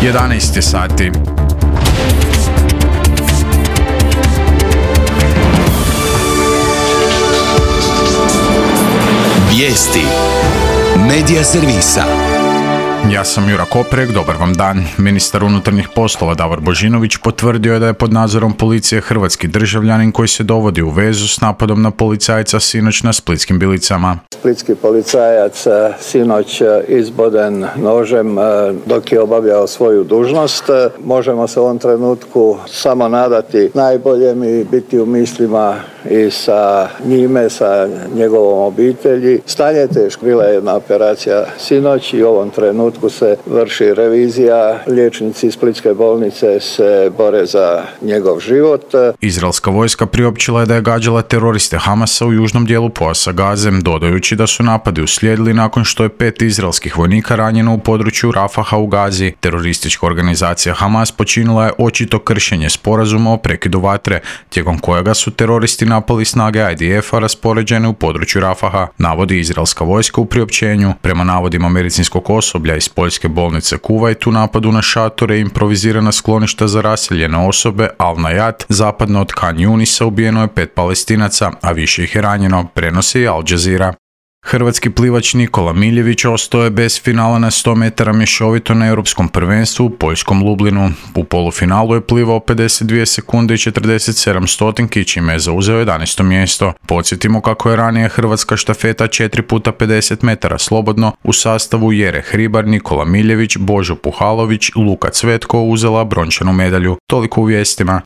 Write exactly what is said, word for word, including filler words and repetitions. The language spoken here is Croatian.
jedanaest je sati. Vijesti Medija servisa. Ja sam Jura Koprek, dobar vam dan. Ministar unutarnjih poslova Davor Božinović potvrdio je da je pod nadzorom policije hrvatski državljanin koji se dovodi u vezu s napadom na policajca sinoć na Splitskim Bilicama. Splitski policajac sinoć izboden nožem dok je obavljao svoju dužnost. Možemo se u ovom trenutku samo nadati najboljem i biti u mislima i sa njime, sa njegovom obitelji. Stanje je teško. Bila je jedna operacija sinoć i u ovom trenutku se vrši revizija. Liječnici Splitske bolnice se bore za njegov život. Izraelska vojska priopćila je da je gađala teroriste Hamasa u južnom dijelu pojasa Gaze, dodajući da su napadi uslijedili nakon što je pet izraelskih vojnika ranjeno u području Rafaha u Gazi. Teroristička organizacija Hamas počinila je očito kršenje sporazuma o prekidu vatre, tijekom kojega su teroristi napali snage I D F-a raspoređene u području Rafaha, navodi izraelska vojska u priopćenju. Prema navodima medicinskog osoblja iz poljske bolnice Kuvajt, u napadu na šatore i improvizirana skloništa za raseljene osobe Al-Najat, zapadno od Khan Yunisa, ubijeno je pet Palestinaca, a više ih je ranjeno, prenosi Al Jazeera. Hrvatski plivač Nikola Miljević ostao je bez finala na sto metara mješovito na europskom prvenstvu u poljskom Lublinu. U polufinalu je plivao pedeset dvije sekunde i četrdeset sedam stotinki, čime je zauzeo jedanaesto mjesto. Podsjetimo kako je ranije hrvatska štafeta četiri puta pedeset metara slobodno u sastavu Jere Hribar, Nikola Miljević, Božo Puhalović, Luka Cvetko uzela brončanu medalju. Toliko u vijestima.